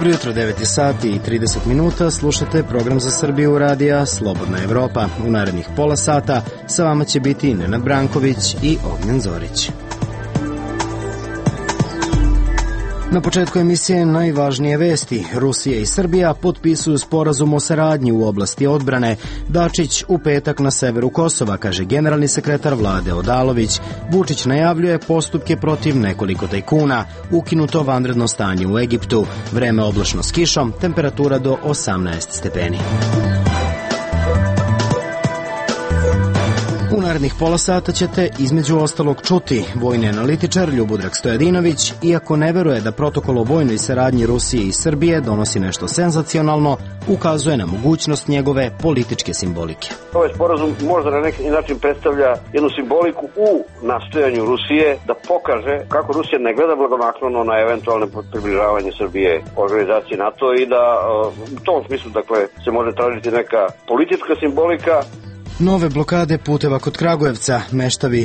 Dobro jutro, 9 sati i 30 minuta, slušate program za Srbiju radija Slobodna Evropa. U narednih pola sata sa vama će biti Nenad Branković i Ognjen Zorić. Na početku emisije najvažnije vesti. Rusija i Srbija potpisuju sporazum o saradnji u oblasti odbrane. Dačić u petak na severu Kosova, kaže generalni sekretar vlade Odalović. Vučić najavljuje postupke protiv nekoliko tajkuna. Ukinuto vanredno stanje u Egiptu. Vreme oblačno s kišom, temperatura do 18 stepeni. U narednih pola sata ćete između ostalog čuti vojni analitičar Ljubodrag Stojadinović, iako ne veruje da protokol o vojnoj saradnji Rusije i Srbije donosi nešto senzacionalno, ukazuje na mogućnost njegove političke simbolike. Ovaj sporazum možda na neki način predstavlja jednu simboliku u nastojanju Rusije da pokaže kako Rusija ne gleda blagonaklono na eventualne približavanje Srbije organizaciji NATO i da u tom smislu se može tražiti neka politička simbolika. Nove blokade puteva kod Kragujevca.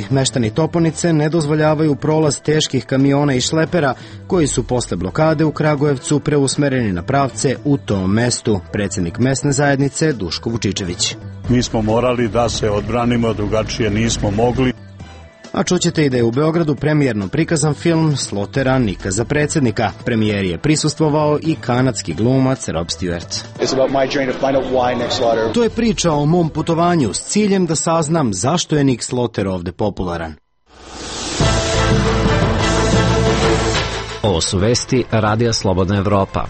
Meštani Toponice ne dozvoljavaju prolaz teških kamiona i šlepera koji su posle blokade u Kragujevcu preusmereni na pravce u tom mestu. Predsjednik mesne zajednice Duško Vučičević. Mi smo morali da se odbranimo, drugačije nismo mogli. A čućete i da je u Beogradu premijerno prikazan film Slotera Nika za predsjednika. Premijeri je prisustvovao i kanadski glumac Rob Stewart. To je priča o mom putovanju s ciljem da saznam zašto je Nick Sloter ovde popularan. Ovo su vesti Radija Slobodna Evropa.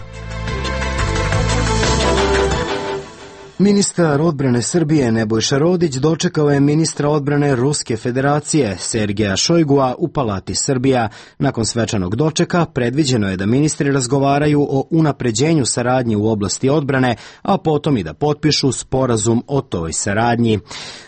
Ministar odbrane Srbije Nebojša Rodić dočekao je ministra odbrane Ruske federacije Sergeja Šojgua u Palati Srbija. Nakon svečanog dočeka predviđeno je da ministri razgovaraju o unapređenju saradnje u oblasti odbrane, a potom i da potpišu sporazum o toj saradnji.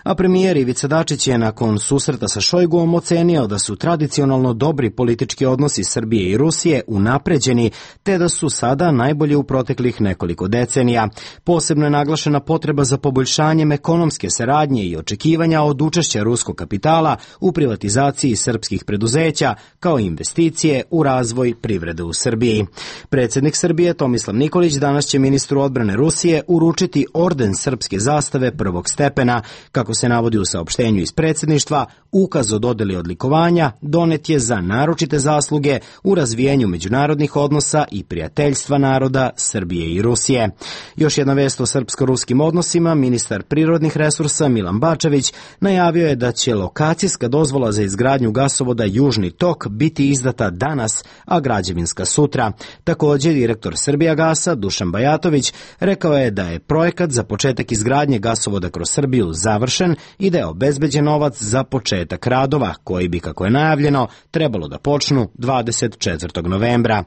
A premijer Ivica Dačić je nakon susreta sa Šojguom ocenio da su tradicionalno dobri politički odnosi Srbije i Rusije unapređeni, te da su sada najbolji u proteklih nekoliko decenija. Posebno je naglašena potreba za poboljšanjem ekonomske saradnje i očekivanja od učešća ruskog kapitala u privatizaciji srpskih preduzeća kao investicije u razvoj privrede u Srbiji. Predsjednik Srbije Tomislav Nikolić danas će ministru odbrane Rusije uručiti orden srpske zastave prvog stepena. Kako se navodi u saopštenju iz predsjedništva, ukaz o dodeli odlikovanja donet je za naročite zasluge u razvijenju međunarodnih odnosa i prijateljstva naroda Srbije i Rusije. Još jedna vest o srpsko-ruskim odnosima, ministar prirodnih resursa Milan Bačević najavio je da će lokacijska dozvola za izgradnju gasovoda Južni tok biti izdata danas, a građevinska sutra. Također, direktor Srbijagasa Dušan Bajatović rekao je da je projekat za početak izgradnje gasovoda kroz Srbiju završen i da je obezbeđen novac za početak radova, koji bi, kako je najavljeno, trebalo da počnu 24. novembra.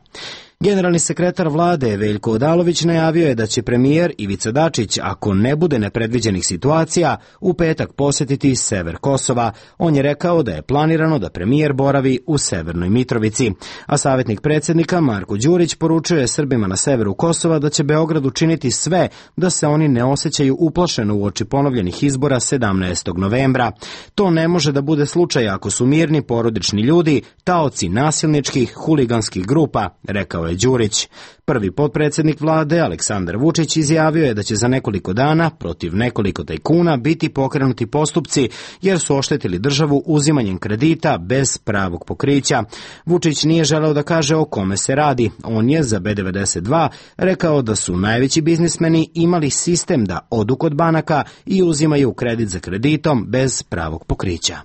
Generalni sekretar vlade Veljko Odalović najavio je da će premijer Ivica Dačić, ako ne bude nepredviđenih situacija, u petak posjetiti sever Kosova. On je rekao da je planirano da premijer boravi u Severnoj Mitrovici. A savjetnik predsjednika Marko Đurić poručuje Srbima na severu Kosova da će Beograd učiniti sve da se oni ne osjećaju uplašeno uoči ponovljenih izbora 17. novembra. To ne može da bude slučaj ako su mirni porodični ljudi, taoci nasilničkih, huliganskih grupa, rekao je Đurić. Prvi potpredsjednik vlade Aleksandar Vučić izjavio je da će za nekoliko dana protiv nekoliko tajkuna biti pokrenuti postupci jer su oštetili državu uzimanjem kredita bez pravog pokrića. Vučić nije želeo da kaže o kome se radi. On je za B92 rekao da su najveći biznismeni imali sistem da odu kod banaka i uzimaju kredit za kreditom bez pravog pokrića.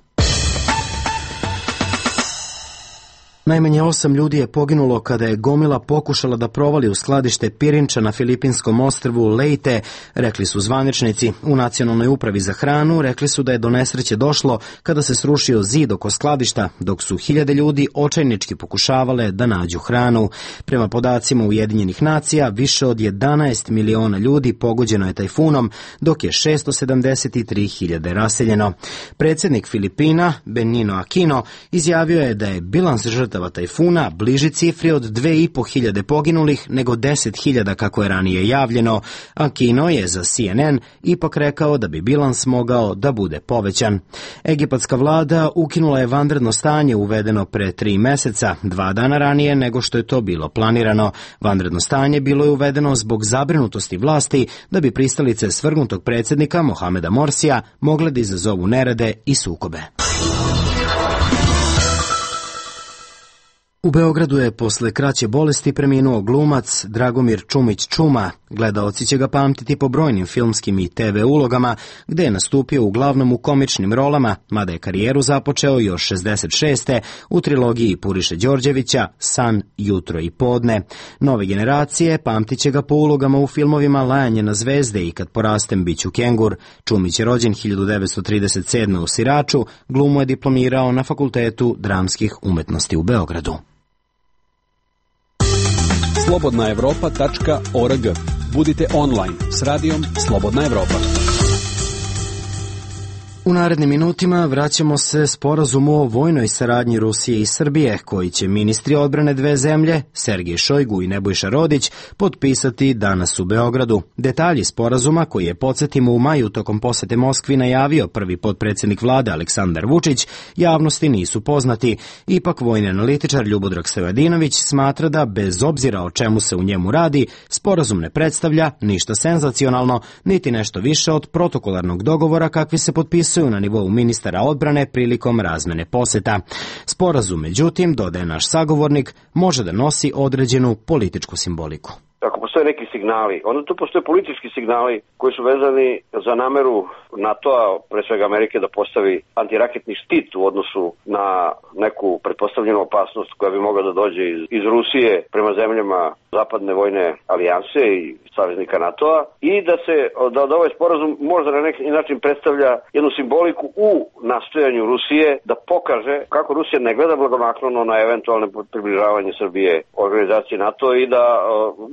Najmanje 8 ljudi je poginulo kada je gomila pokušala da provali u skladište pirinča na filipinskom ostrvu Leyte, rekli su zvaničnici. U Nacionalnoj upravi za hranu rekli su da je do nesreće došlo kada se srušio zid oko skladišta, dok su hiljade ljudi očajnički pokušavale da nađu hranu. Prema podacima Ujedinjenih nacija, više od 11 miliona ljudi pogođeno je tajfunom, dok je 673.000 raseljeno. Predsjednik Filipina, Benigno Aquino, izjavio je da je bilans žrtava žrtava tajfuna, bliži cifri od 2.500 poginulih nego 10.000 kako je ranije javljeno, a Kino je za CNN ipak rekao da bi bilans mogao da bude povećan. Egipatska vlada ukinula je vanredno stanje uvedeno pre 3 meseca, 2 dana ranije nego što je to bilo planirano. Vanredno stanje bilo je uvedeno zbog zabrinutosti vlasti da bi pristalice svrgnutog predsjednika Mohameda Morsija mogle da izazovu nerede i sukobe. U Beogradu je posle kraće bolesti preminuo glumac Dragomir Čumić Čuma. Gledaoci će ga pamtiti po brojnim filmskim i TV ulogama, gde je nastupio uglavnom u komičnim rolama, mada je karijeru započeo još 66. u trilogiji Puriše Đorđevića San, jutro i podne. Nove generacije pamtit će ga po ulogama u filmovima Lajanje na zvezde i Kad porastem biću kengur. Čumić je rođen 1937. u Siraču, glumu je diplomirao na Fakultetu dramskih umetnosti u Beogradu. slobodnaevropa.org. Budite online s radijom Slobodna Evropa. U narednim minutima vraćamo se sporazumu o vojnoj saradnji Rusije i Srbije, koji će ministri odbrane dve zemlje, Sergej Šojgu i Nebojša Rodić, potpisati danas u Beogradu. Detalji sporazuma, koji je, podsjetimo, u maju tokom posete Moskvi najavio prvi potpredsjednik vlade Aleksandar Vučić, javnosti nisu poznati. Ipak vojni analitičar Ljubodrag Stojadinović smatra da, bez obzira o čemu se u njemu radi, sporazum ne predstavlja ništa senzacionalno, niti nešto više od protokolarnog dogovora kakvi se potpisuju na nivou ministara odbrane prilikom razmene poseta. Sporazum, međutim, dodaje naš sagovornik, može da nosi određenu političku simboliku. Ako postoje neki signali, onda tu postoje politički signali koji su vezani za nameru NATO-a, pre svega Amerike, da postavi antiraketni štit u odnosu na neku pretpostavljenu opasnost koja bi mogla da dođe iz Rusije prema zemljama zapadne vojne alijanse i saveznika NATO-a, i da ovaj sporazum možda na neki način predstavlja jednu simboliku u nastojanju Rusije da pokaže kako Rusija ne gleda blagonaklono na eventualne približavanje Srbije organizaciji NATO i da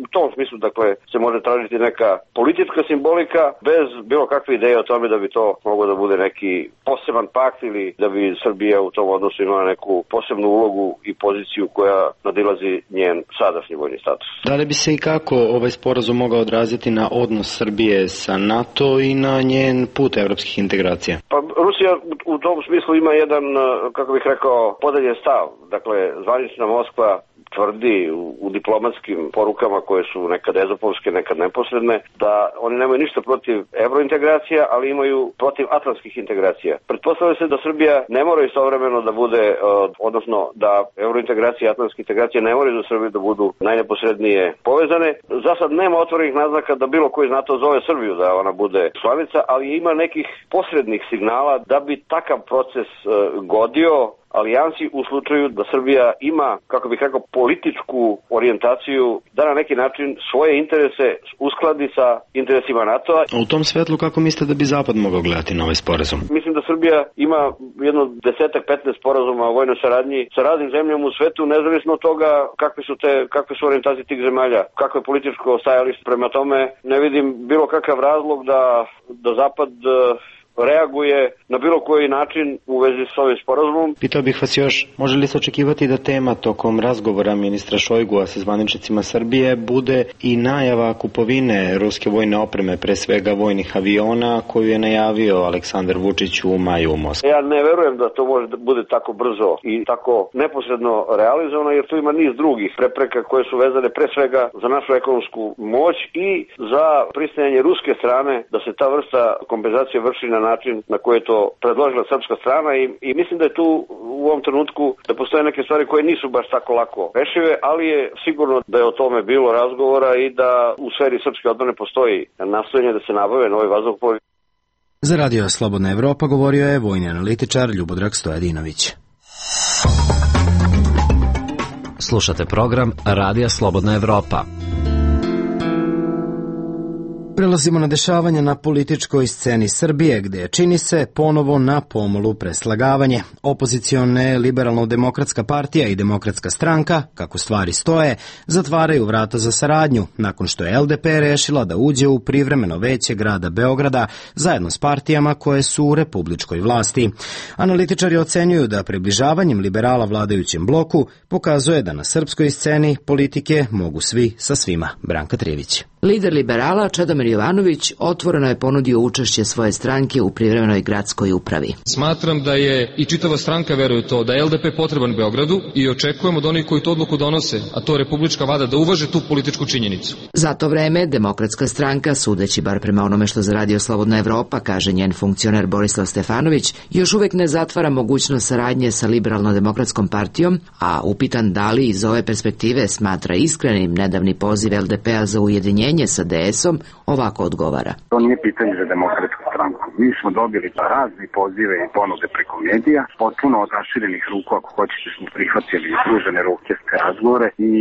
u tom smislu, dakle, se može tražiti neka politička simbolika bez bilo kakve ideje o tome da bi to moglo da bude neki poseban pakt ili da bi Srbija u tom odnosu imala neku posebnu ulogu i poziciju koja nadilazi njen sadašnji vojni status. Da li bi se i kako ovaj sporazum mogao odraziti na odnos Srbije sa NATO i na njen put evropskih integracija? Pa Rusija u tom smislu ima jedan, kako bih rekao, podeljen stav. Dakle, zvanična Moskva tvrdi u diplomatskim porukama koje su nekad ezopovske, nekad neposredne, da oni nemaju ništa protiv evrointegracija, ali imaju protiv atlantskih integracija. Pretpostavlja se da Srbija ne mora istovremeno da bude, odnosno da evrointegracije i atlantske integracije ne moraju za Srbiju da budu najneposrednije povezane. Za sad nema otvorenih naznaka da bilo koji iz NATO zove Srbiju da ona bude članica, ali ima nekih posrednih signala da bi takav proces godio alijansi u slučaju da Srbija ima, kako bih rekao, političku orijentaciju da na neki način svoje interese uskladi sa interesima NATO-a. U tom svetlu kako mislite da bi Zapad mogao gledati na ovaj sporazum? Mislim da Srbija ima jedno 10-15 sporazuma o vojnoj saradnji sa raznim zemljama u svetu, nezavisno od toga kakve su orijentacije tih zemalja, kako je političko stajalište. Prema tome ne vidim bilo kakav razlog da Zapad reaguje na bilo koji način u vezi s ovim sporazumom. Pitao bih vas još, može li se očekivati da tema tokom razgovora ministra Šojgua sa zvaničnicima Srbije bude i najava kupovine ruske vojne opreme, pre svega vojnih aviona, koju je najavio Aleksandar Vučić u maju u Moskvi? Ja ne verujem da to može da bude tako brzo i tako neposredno realizovano, jer tu ima niz drugih prepreka koje su vezane pre svega za našu ekonomsku moć i za pristajanje ruske strane da se ta vrsta kompenzacije vrši na način na koji je to predložila srpska strana i mislim da je tu u ovom trenutku da postoje neke stvari koje nisu baš tako lako rešive, ali je sigurno da je o tome bilo razgovora i da u sferi srpske odbrane postoji nastojanje da se nabave novi vazduhoplovi. Za Radio Slobodna Evropa govorio je vojni analitičar Ljubodrag Stojadinović. Slušate program Radija Slobodna Evropa. Prelazimo na dešavanja na političkoj sceni Srbije, gde čini se ponovo na pomolu preslagavanje. Opozicione Liberalno-demokratska partija i Demokratska stranka, kako stvari stoje, zatvaraju vrata za saradnju, nakon što je LDP rešila da uđe u privremeno veće grada Beograda zajedno s partijama koje su u republičkoj vlasti. Analitičari ocenjuju da približavanjem liberala vladajućem bloku pokazuje da na srpskoj sceni politike mogu svi sa svima. Branka Trijević. Lider liberala Čedomir Jovanović otvoreno je ponudio učešće svoje stranke u privremenoj gradskoj upravi. Smatram da je i čitava stranka veruje to da je LDP potreban Beogradu i očekujemo od onih koji tu odluku donose, a to je republička vlada, da uvaže tu političku činjenicu. Za to vreme Demokratska stranka, sudeći bar prema onome što za Radio Slobodna Evropa kaže njen funkcioner Borislav Stefanović, još uvek ne zatvara mogućnost saradnje sa Liberalno-demokratskom partijom, a upitan da li iz ove perspektive smatra iskrenim nedavni poziv LDP-a za ujedinjenje sa DS-om, ovako odgovara. To nije pitanje za Demokratsku stranku. Mi smo dobili razne pozive i ponude preko medija, potpuno od raširenih ruku, ako hoćete, smo prihvatili pružene ruke s razgovore i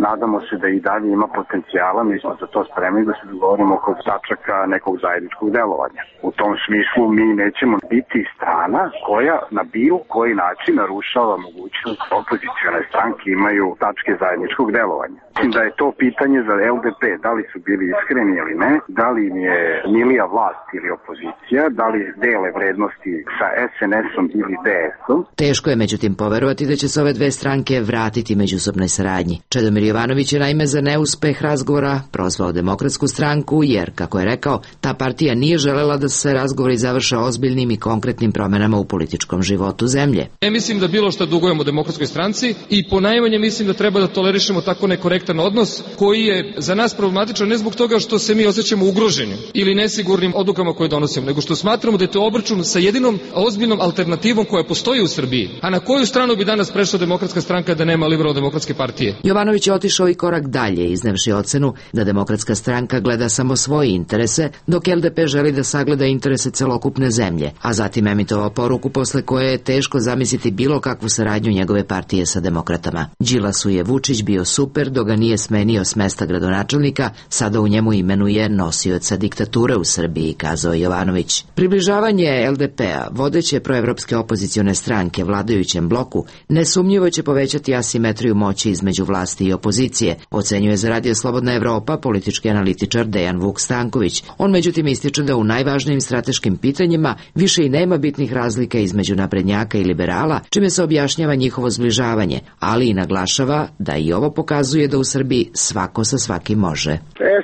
nadamo se da i dalje ima potencijala. Mi smo za to spremni da se dogovorimo oko tačaka nekog zajedničkog delovanja. U tom smislu mi nećemo biti strana koja na bilo koji način narušava mogućnost opozicione stranke imaju tačke zajedničkog delovanja. Mislim da je to pitanje za LDP, da li su bili iskreni ili ne, da li im je milija vlast ili opozicija, da li dele vrednosti sa SNS-om ili DS-om. Teško je međutim poverovati da će se ove dve stranke vratiti međusobnoj saradnji. Čedomir Jovanović je naime za neuspeh razgovora prozvao Demokratsku stranku jer, kako je rekao, ta partija nije želela da se razgovori završe ozbiljnim i konkretnim promenama u političkom životu zemlje. Ne mislim da bilo što dugujemo Demokratskoj stranci i ponajmanje mislim da treba da tolerišemo tako nekorektan odnos koji je za nas problematičan ne zbog toga što se mi osjećamo ugroženim ili nesigurnim odlukama koje donosimo, nego što smatramo da je to obračun sa jedinom ozbiljnom alternativom koja postoji u Srbiji. A na koju stranu bi danas prešla Demokratska stranka da nema Liberalno-demokratske partije? Jovanović je otišao i korak dalje, iznevši ocenu da Demokratska stranka gleda samo svoje interese, dok LDP želi da sagleda interese celokupne zemlje, a zatim emitovao poruku posle koje je teško zamisliti bilo kakvu saradnju njegove partije sa demokratama. Đilasu je Vučić bio super dok ga nije smenio s mesta gradonačelnika, sada u njemu imenuje nosioca diktature u Srbiji, kazao Jovanović. Približavanje LDP-a, vodeće proevropske opozicione stranke vladajućem bloku, nesumnjivo će povećati asimetriju moći između vlasti i opozicije, ocenjuje za Radio Slobodna Evropa politički analitičar Dejan Vuk Stanković. On međutim ističe da u najvažnijim strateškim pitanjima više i nema bitnih razlika između naprednjaka i liberala, čime se objašnjava njihovo zbližavanje, ali i naglašava da i ovo pokazuje da u Srbiji svako sa svakim može.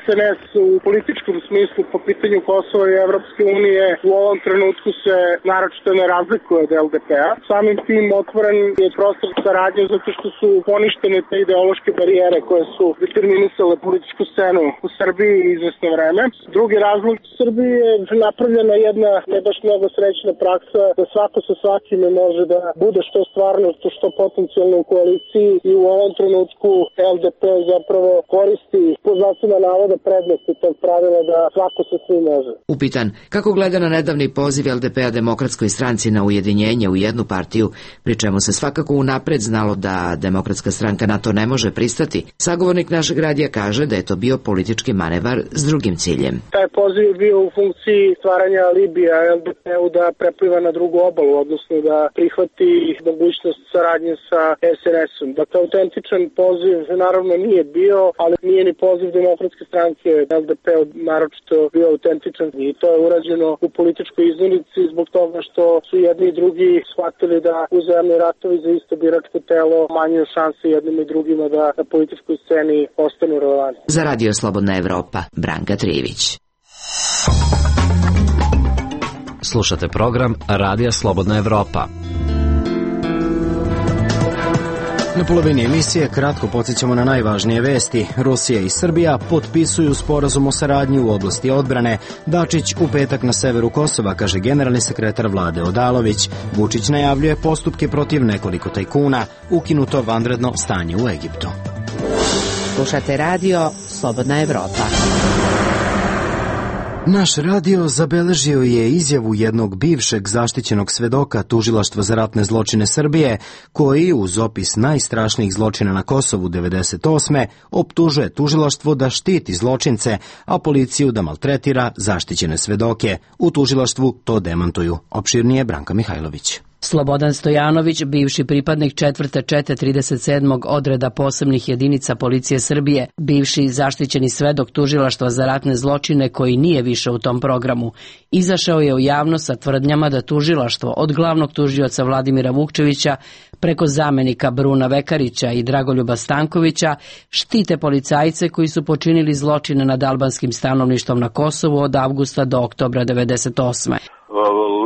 SNS u političkom smislu po pitanju Kosova i Evropske unije u ovom trenutku se naročito ne razlikuje od LDP-a. Samim tim otvoren je prostor saradnje zato što su poništene te ideološke barijere koje su determinisale političku scenu u Srbiji izvesno vreme. Drugi razlog u Srbiji je napravljena jedna ne baš mnogo srećna praksa da svako sa svakime može da bude što stvarno, što potencijalno u koaliciji i u ovom trenutku LDP zapravo koristi po znacima navoda prednosti tog pravila da svako sa svim može. Upitan kako gleda na nedavni poziv LDP-a Demokratskoj stranci na ujedinjenje u jednu partiju, pri čemu se svakako unapred znalo da Demokratska stranka na to ne može pristati, sagovornik našeg radija kaže da je to bio politički manevar s drugim ciljem. Taj poziv je bio u funkciji stvaranja alibija LDP-u da prepliva na drugu obalu, odnosno da prihvati mogućnost saradnje sa SNS-om. Dakle, autentičan poziv naravno nije bio, ali nije ni poziv Demokratske stranke LDP-u naročito bio autentičan i to je urađeno u političkoj izmenici zbog toga što su jedni i drugi shvatili da uzajamni ratovi za isto biračko telo manjuju šanse jednim i drugima da na političkoj sceni ostanu relevantni. Za Radio Slobodna Evropa, Branka Trijević. Slušate program Radija Slobodna Evropa. Na polovini emisije kratko podsjećamo na najvažnije vesti. Rusija i Srbija potpisuju sporazum o saradnji u oblasti odbrane. Dačić u petak na severu Kosova, kaže generalni sekretar vlade Odalović. Vučić najavljuje postupke protiv nekoliko tajkuna. Ukinuto vanredno stanje u Egiptu. Slušate radio Slobodna Evropa. Naš radio zabeležio je izjavu jednog bivšeg zaštićenog svedoka Tužilaštva za ratne zločine Srbije, koji uz opis najstrašnijih zločina na Kosovu 1998. optužuje tužilaštvo da štiti zločince, a policiju da maltretira zaštićene svedoke. U tužilaštvu to demantuju. Opširnije Branka Mihajlović. Slobodan Stojanović, bivši pripadnik 4. čete 37. odreda posebnih jedinica policije Srbije, bivši zaštićeni svedok Tužilaštva za ratne zločine koji nije više u tom programu, izašao je u javnost sa tvrdnjama da tužilaštvo od glavnog tužioca Vladimira Vukčevića preko zamenika Bruna Vekarića i Dragoljuba Stankovića štite policajce koji su počinili zločine nad albanskim stanovništvom na Kosovu od avgusta do oktobra 1998.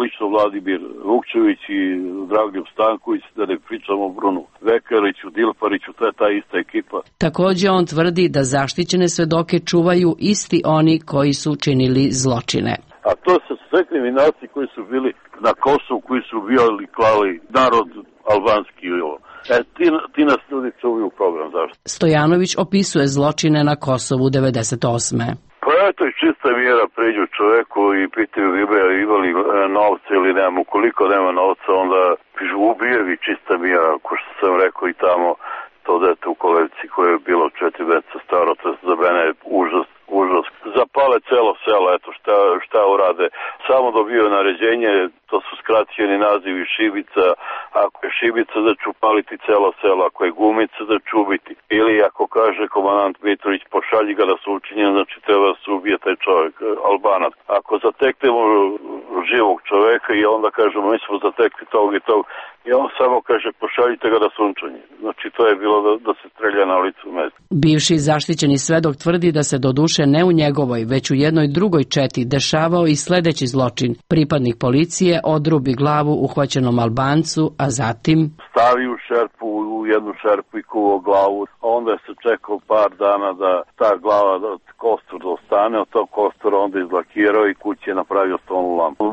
Lično Vladimir Vukčević i Dragoljub Stanković, da ne pričamo o Brunu Vekariću, Dilpariću, to je ta ista ekipa. Također on tvrdi da zaštićene svedoke čuvaju isti oni koji su činili zločine. A to su sve kriminalci koji su bili na Kosovu, koji su ubijali, klali narod albanski. Ti nas ljudi čuvaju program zašto. Stojanović opisuje zločine na Kosovu 1998. Pa eto i čista mjera, pređu čoveku i pitaju imali novce ili nema. Ukoliko nema novca, onda ubijevi čista mjera, ko što sam rekao i tamo, to dete u kolevci koje je bilo 4 meseca staro, to je za mene užas. Zapale celo selo, eto šta urade. Samo dobio naređenje, to su skraćeni nazivi šibica. Ako je šibica da ću paliti celo selo, ako je gumica da ću ubiti. Ili ako kaže komandant Mitrović pošalji ga da su učinjeni, znači treba da se ubije taj čovjek, Albanac. Ako zateknemo živog čoveka i onda kažemo mi smo zatekli tog i tog, i on samo kaže pošaljite ga da sunčanje. Znači to je bilo da se strelja na licu mesta. Bivši zaštićeni svedok tvrdi da se doduše ne u njegovoj, već u jednoj drugoj četi dešavao i sledeći zločin. Pripadnik policije odrubi glavu uhvaćenom Albancu, a zatim stavi u šerpu, u jednu šerpu i kuvao glavu, a onda se čekao par dana da ta glava, da kostur ostane, od tog kostura onda izlakirao i kući je napravio stolnu lampu.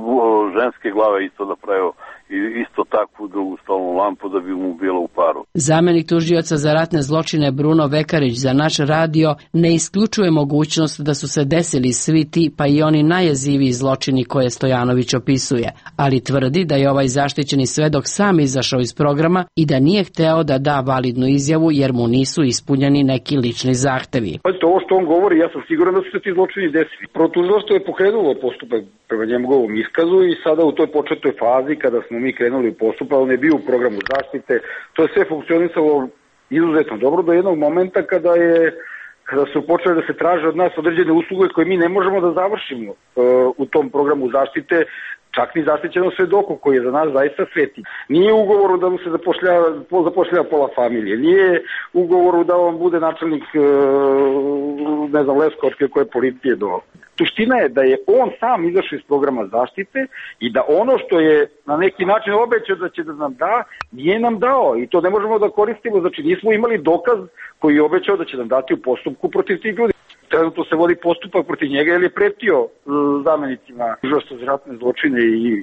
Ženske glave isto napravio i isto takvu drugu stolnu lampu da bi mu bilo u paru. Zamenik tužioca za ratne zločine Bruno Vekarić za naš radio ne isključuje mogućnost da su se desili svi ti pa i oni najjeziviji zločini koje Stojanović opisuje, ali tvrdi da je ovaj zaštićeni svedok sam izašao iz programa i da nije hteo da da validnu izjavu jer mu nisu ispunjeni neki lični zahtevi. Ovo što on govori, ja sam siguran da su se ti zločini desili. Protužilaštvo je pokrenulo postupak prema njegovom iskazu i sada u toj početnoj fazi kada smo mi krenuli u postupak, on je bio u programu zaštite, to je sve funkcionisalo izuzetno dobro do jednog momenta kada su počeli da se traže od nas određene usluge koje mi ne možemo da završimo u tom programu zaštite, čak ni zaštićenom svedoku koji je za nas zaista sveti. Nije ugovoru da mu se zapošljava pola familije, nije ugovoru da on bude načelnik Leskovačke koje policije do. Suština je da je on sam izašao iz programa zaštite i da ono što je na neki način obećao da će da nam da, nije nam dao i to ne možemo da koristimo, znači nismo imali dokaz koji je obećao da će nam dati u postupku protiv tih ljudi. Trenutno se vodi postupak protiv njega jer je pretio zamenicima Tužilaštva za ratne zločine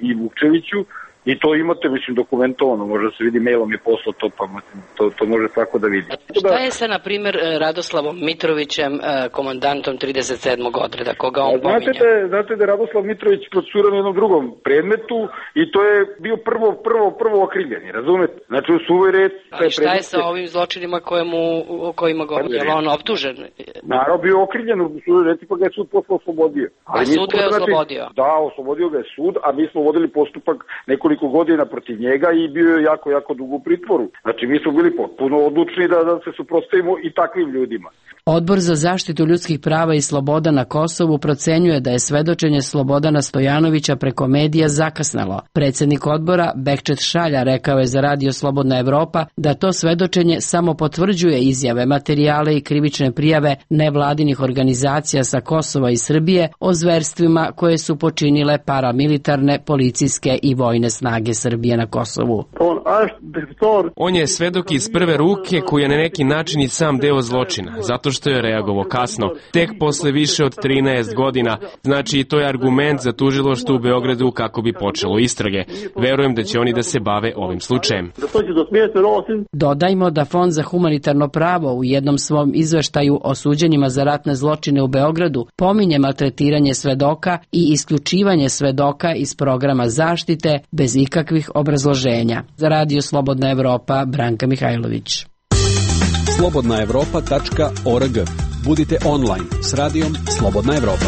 i Vukčeviću i to imate, mislim, dokumentovano, može da se vidi, mailom je poslao to, pa to može svako da vidi. Šta je sa, na primjer, Radoslavom Mitrovićem, komandantom 37. odreda, koga on pominja? Znate da je Radoslav Mitrović procesuiran u jednom drugom predmetu i to je bio prvo okrivljeni, razumete? Znači u suvoj red... Ali šta je sa ovim zločinima o kojima govori? Je li on optužen? Naravno, bio okrivljen u suvoj red, pa ga je sud posle oslobodio. A sud ga je oslobodio? Da, oslobodio ga je sud, a mi smo vodili postupak nekoliko godina protiv njega i bio je jako dugo u pritvoru. Znači mi smo bili potpuno odlučni da se suprotstavimo i takvim ljudima. Odbor za zaštitu ljudskih prava i sloboda na Kosovu procenjuje da je svedočenje Slobodana Stojanovića preko medija zakasnalo. Predsjednik odbora Bekčet Šalja rekao je za radio Slobodna Evropa da to svedočenje samo potvrđuje izjave, materijale i krivične prijave nevladinih organizacija sa Kosova i Srbije o zverstvima koje su počinile paramilitarne, policijske i vojne snage Srbije na Kosovu. On je svedok iz prve ruke koji je na neki način i sam deo zločina, zato što što je reagovao kasno, tek posle više od 13 godina. Znači, to je argument za tužilaštvo u Beogradu kako bi počelo istrage. Verujem da će oni da se bave ovim slučajem. Dodajmo da Fond za humanitarno pravo u jednom svom izveštaju o suđenjima za ratne zločine u Beogradu pominje maltretiranje svedoka i isključivanje svedoka iz programa zaštite bez ikakvih obrazloženja. Za Radio Slobodna Evropa, Branka Mihajlović. slobodnaevropa.org. Budite online s radijom Slobodna Evropa.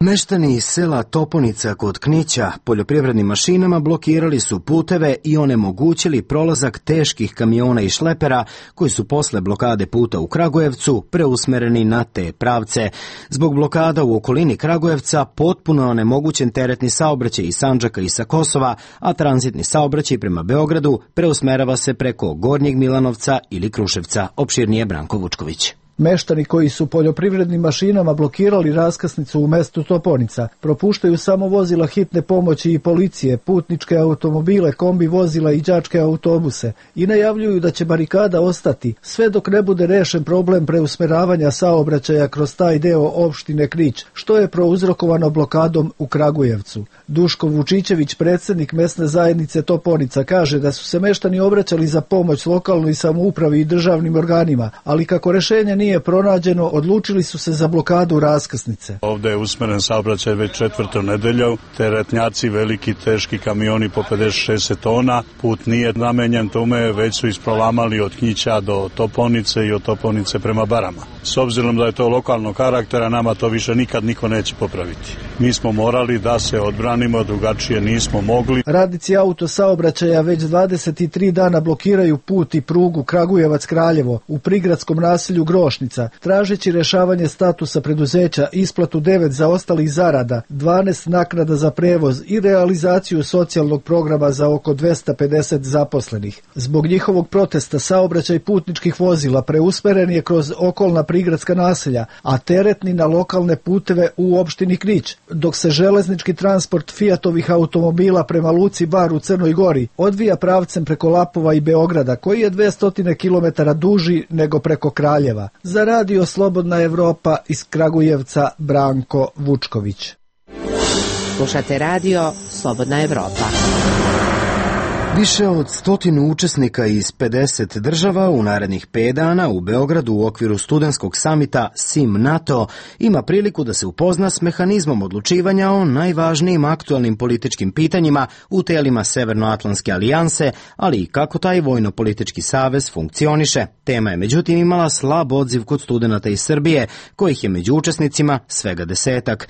Meštani iz sela Toponica kod Knića poljoprivrednim mašinama blokirali su puteve i onemogućili prolazak teških kamiona i šlepera koji su posle blokade puta u Kragujevcu preusmereni na te pravce. Zbog blokada u okolini Kragujevca potpuno je onemogućen teretni saobraćaj iz Sandžaka i sa Kosova, a tranzitni saobraćaj prema Beogradu preusmerava se preko Gornjeg Milanovca ili Kruševca. Opširnije Branko Vučković. Meštani koji su poljoprivrednim mašinama blokirali raskrsnicu u mestu Toponica propuštaju samo vozila hitne pomoći i policije, putničke automobile, kombi vozila i đačke autobuse i najavljuju da će barikada ostati sve dok ne bude rešen problem preusmeravanja saobraćaja kroz taj deo opštine Knić, što je prouzrokovano blokadom u Kragujevcu. Duško Vučićević, predsjednik mesne zajednice Toponica, kaže da su se meštani obraćali za pomoć lokalnoj samoupravi i državnim organima, ali kako rešenje nije pronađeno, odlučili su se za blokadu raskrsnice. Ovde je usmeren saobraćaj već 4. nedelju, teretnjaci, veliki teški kamioni po 50-60 tona, put nije namenjen tome, već su isprolamali od Knića do Toponice i od Toponice prema Barama. S obzirom da je to lokalnog karaktera, nama to više nikad niko neće popraviti. Mi smo morali da se odbranimo, drugačije nismo mogli. Radnici autosaobraćaja već 23 dana blokiraju put i prugu Kragujevac-Kraljevo u prigradskom naselju Grošnica, tražeći rešavanje statusa preduzeća, isplatu 9 zaostalih zarada, 12 naknada za prevoz i realizaciju socijalnog programa za oko 250 zaposlenih. Zbog njihovog protesta saobraćaj putničkih vozila preusmeren je kroz okolna prigradska naselja, a teretni na lokalne puteve u opštini Knić, dok se železnički transport Fiatovih automobila prema luci Bar u Crnoj Gori odvija pravcem preko Lapova i Beograda, koji je 200 km duži nego preko Kraljeva. Za Radio Slobodna Evropa iz Kragujevca, Branko Vučković. Slušate Radio Slobodna Evropa. Više od 100 učesnika iz 50 država u narednih 5 dana u Beogradu u okviru studentskog samita SIM NATO ima priliku da se upozna s mehanizmom odlučivanja o najvažnijim aktualnim političkim pitanjima u telima Severnoatlantske alijanse, ali i kako taj vojno-politički savez funkcioniše. Tema je međutim imala slab odziv kod studenata iz Srbije, kojih je među učesnicima svega 10.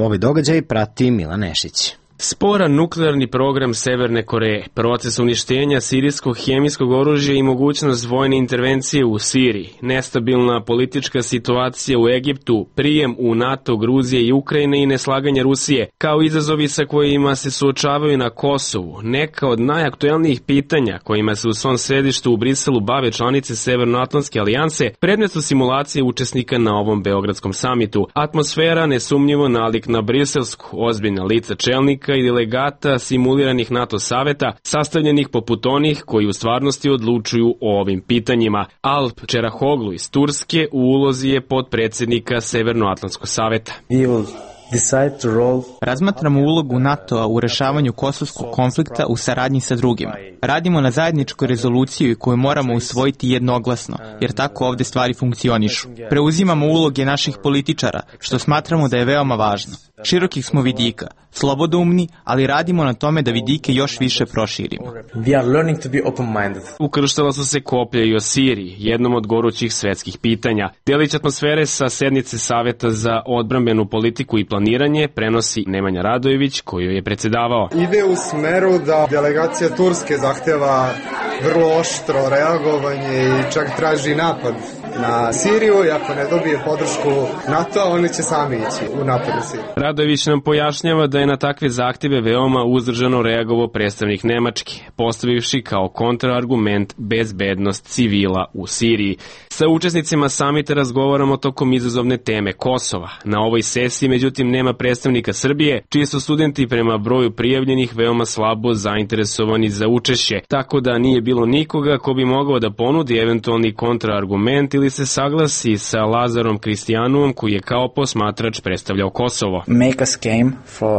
Ovi događaj prati Milan Nešić. Sporan nuklearni program Severne Koreje, proces uništenja sirijskog hemijskog oružja i mogućnost vojne intervencije u Siriji, nestabilna politička situacija u Egiptu, prijem u NATO, Gruzije i Ukrajine i neslaganje Rusije, kao izazovi sa kojima se suočavaju na Kosovu, neka od najaktuelnijih pitanja kojima se u svom središtu u Briselu bave članice Severnoatlantske alijanse, predmet su simulacije učesnika na ovom beogradskom samitu. Atmosfera nesumnjivo nalik na briselsku, ozbiljna lica čelnika i delegata simuliranih NATO saveta, sastavljenih poput onih koji u stvarnosti odlučuju o ovim pitanjima. Alp Čerahoglu iz Turske u ulozi je potpredsjednika Severnoatlantskog saveta. Razmatramo ulogu NATO-a u rešavanju kosovskog konflikta u saradnji sa drugima. Radimo na zajedničkoj rezoluciji koju moramo usvojiti jednoglasno, jer tako ovde stvari funkcionišu. Preuzimamo uloge naših političara, što smatramo da je veoma važno. Širokih smo vidika, slobodoumni, ali radimo na tome da vidike još više proširimo. Ukrštala su se koplja i o Siriji, jednom od gorućih svetskih pitanja. Delić atmosfere sa sednice Saveta za odbrambenu politiku i planiranje prenosi Nemanja Radojević, koju je predsedavao. Ide u smeru da delegacija Turske zahteva vrlo oštro reagovanje i čak traži napad na Siriju i ako ne dobije podršku NATO, oni će sami ići u napad na Siriju. Radojević nam pojašnjava da je na takve zahtjeve veoma uzdržano reagovao predstavnik Nemačke, postavivši kao kontraargument bezbednost civila u Siriji. Sa učesnicima samita razgovaramo tokom izazovne teme Kosova. Na ovoj sesiji, međutim, nema predstavnika Srbije, čiji su studenti prema broju prijavljenih veoma slabo zainteresovani za učešće, tako da nije bilo nikoga ko bi mogao da ponudi eventualni kontraargument ili se saglasi sa Lazarom Kristijanuom, koji je kao posmatrač predstavljao Kosovo.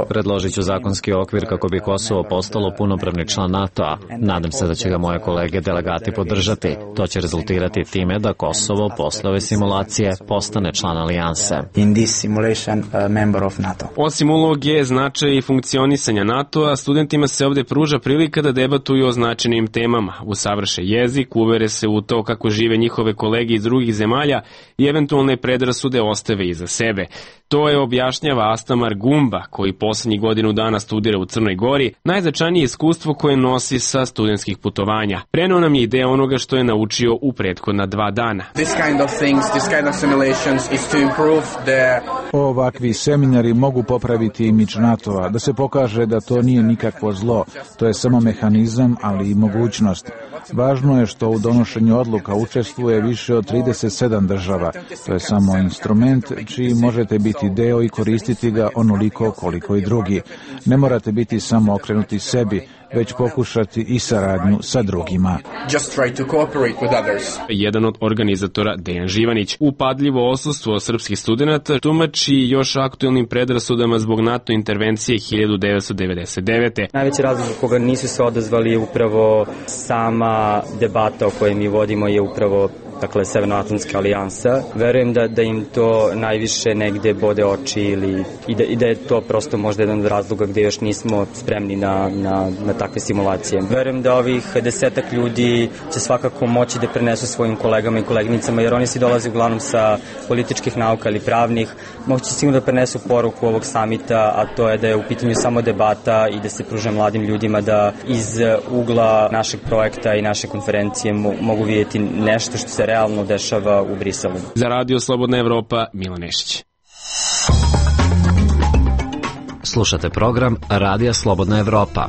Predložit ću zakonski okvir kako bi Kosovo postalo punopravni član NATO-a. Nadam se da će ga moje kolege delegati podržati. To će rezultirati time da Kosovo posle ove simulacije postane član alijanse. Osim uloge, značaja i funkcionisanja NATO-a, studentima se ovde pruža prilika da debatuju o značajnim temama, usavrše jezik, uvere se u to kako žive njihove kolege iz drugih zemalja i eventualne predrasude ostave iza sebe. To je objašnjava Astamar Gumba, koji poslednjih godinu dana studira u Crnoj Gori, najznačajnije iskustvo koje nosi sa studentskih putovanja. Preneo nam je ideja onoga što je naučio u prethodna 2 dana. Ovakvi seminari mogu popraviti imidž NATO-a, da se pokaže da to nije nikakvo zlo, to je samo mehanizam, ali i mogućnost. Važno je što u donošenju odluka učestvuje više od 37 država. To je samo instrument čiji možete biti deo i koristiti ga onoliko koliko i drugi. Ne morate biti samo okrenuti sebi, već pokušati i saradnju sa drugima. Jedan od organizatora, Dejan Živanić, upadljivo odsustvo srpskih studenata tumači još aktuelnim predrasudama zbog NATO intervencije 1999. Najveći razlog koga nisu se odazvali je upravo sama debata o kojoj mi vodimo je upravo Severnoatlantska alijansa. Verujem da im to najviše negde bode oči i da je to prosto možda jedan od razloga gde još nismo spremni na takve simulacije. Verujem da ovih 10 ljudi će svakako moći da prenesu svojim kolegama i koleginicama, jer oni svi dolaze uglavnom sa političkih nauka ili pravnih. Moći sigurno da prenesu poruku ovog samita, a to je da je u pitanju samo debata i da se pruža mladim ljudima da iz ugla našeg projekta i naše konferencije mogu vidjeti nešto što se realno dešava u Briselu. Za Radio Slobodna Evropa, Milan Nešić. Slušate program Radija Slobodna Evropa.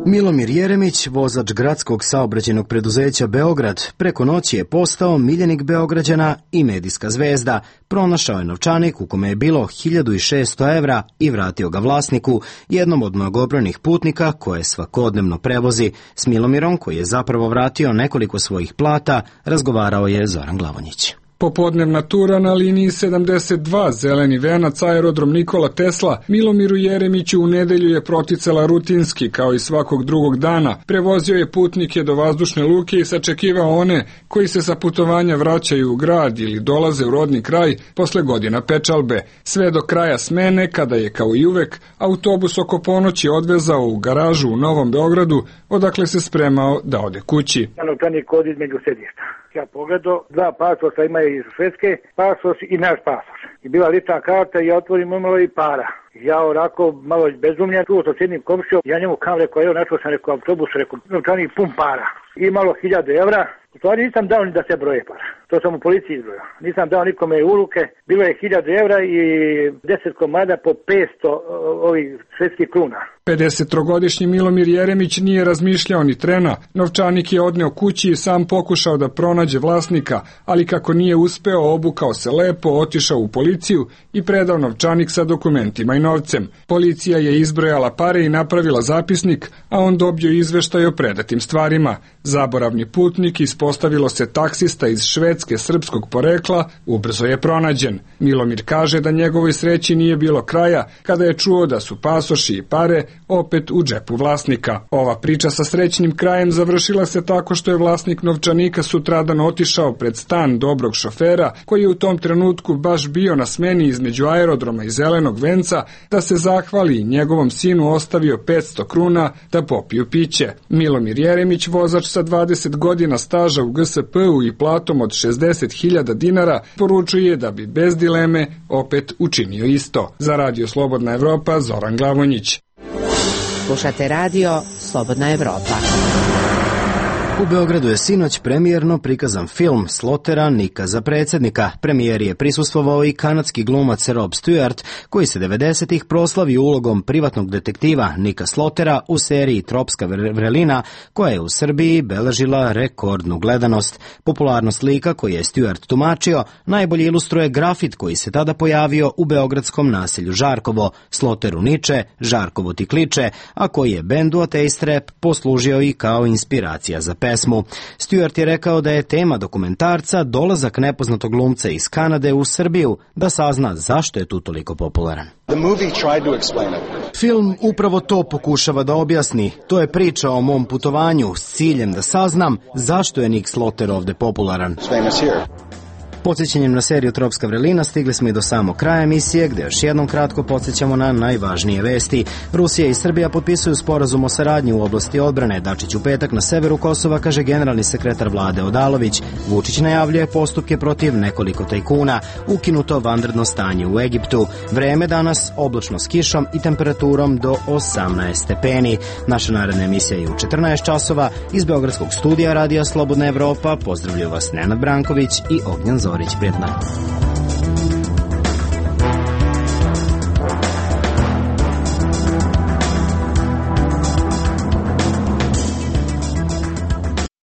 Milomir Jeremić, vozač gradskog saobraćajnog preduzeća Beograd, preko noći je postao miljenik Beograđana i medijska zvezda. Pronašao je novčanik u kome je bilo 1600 evra i vratio ga vlasniku, jednom od mnogobrojnih putnika koje svakodnevno prevozi. S Milomirom, koji je zapravo vratio nekoliko svojih plata, razgovarao je Zoran Glavonjić. Popodnevna tura na liniji 72 Zeleni venac aerodrom Nikola Tesla Milomiru Jeremiću u nedelju je proticala rutinski kao i svakog drugog dana. Prevozio je putnike do vazdušne luke i sačekivao one koji se sa putovanja vraćaju u grad ili dolaze u rodni kraj posle godina pečalbe. Sve do kraja smene, kada je kao i uvek autobus oko ponoći odvezao u garažu u Novom Beogradu, odakle se spremao da ode kući. Novčanik kod između sedišta. Ja pogledao, 2 pasoša ima iz Švedske, pasoš i naš pasoš. I bila lična karta i ja otvorim imalo i para. Ja onako malo bezumljen, čuo sam s jednim komšijom, ja njemu kam rekao, evo našao sam rekao autobus, rekao novčanik pun para. I malo 1000 evra. U stvari nisam dao ni da se broje para. To sam u policiji izbrojao. Nisam dao nikome u ruke. Bilo je 1000 evra i 10 komada po 500 ovih švedskih kruna. 53-godišnji Milomir Jeremić nije razmišljao ni trena. Novčanik je odneo kući i sam pokušao da pronađe vlasnika, ali kako nije uspeo, obukao se lepo, otišao u policiju i predao novčanik sa dokumentima i novcem. Policija je izbrojala pare i napravila zapisnik, a on dobio izveštaj o predatim stvarima. Zaboravni putnik, ispostavilo se taksista iz Švedske srpskog porekla, ubrzo je pronađen. Milomir kaže da njegovoj sreći nije bilo kraja kada je čuo da su pasoši i pare opet u džepu vlasnika. Ova priča sa srećnim krajem završila se tako što je vlasnik novčanika sutradan otišao pred stan dobrog šofera, koji je u tom trenutku baš bio na smeni između aerodroma i Zelenog venca, da se zahvali i njegovom sinu ostavio 500 kruna da popiju piće. Milomir Jeremić, vozač sa 20 godina staža u GSP-u i platom od 60.000 dinara, poručuje da bi bez dileme opet učinio isto. Za Radio Slobodna Evropa, Zoran Glavonjić. Slušate Radio Slobodna Evropa. U Beogradu je sinoć premijerno prikazan film Slotera Nika za predsjednika. Premijeri je prisustvovao i kanadski glumac Rob Stewart, koji se 90-ih proslavio ulogom privatnog detektiva Nika Slotera u seriji Tropska vrelina, koja je u Srbiji beležila rekordnu gledanost. Popularnost lika koji je Stewart tumačio najbolje ilustruje grafit koji se tada pojavio u beogradskom naselju Žarkovo. Sloteru niče, Žarkovo ti kliče, a koji je bendu Ateist Rap poslužio i kao inspiracija za pesmu. Stewart je rekao da je tema dokumentarca dolazak nepoznatog glumca iz Kanade u Srbiju, da sazna zašto je tu toliko popularan. Film upravo to pokušava da objasni. To je priča o mom putovanju s ciljem da saznam zašto je Nik Sloter ovde popularan. Podsjećanjem na seriju Tropska vrelina stigli smo i do samog kraja emisije, gde još jednom kratko podsjećamo na najvažnije vesti. Rusija i Srbija potpisuju sporazum o saradnji u oblasti odbrane. Dačić u petak na severu Kosova, kaže generalni sekretar vlade Odalović. Vučić najavljuje postupke protiv nekoliko tajkuna. Ukinuto vanredno stanje u Egiptu. Vreme danas oblačno s kišom i temperaturom do 18 stepeni. Naša naredna emisija je u 14 časova. Iz Beogradskog studija Radija Slobodna Evropa pozdravljaju vas Nenad Branković i Ognjan Zorić. Prijetno.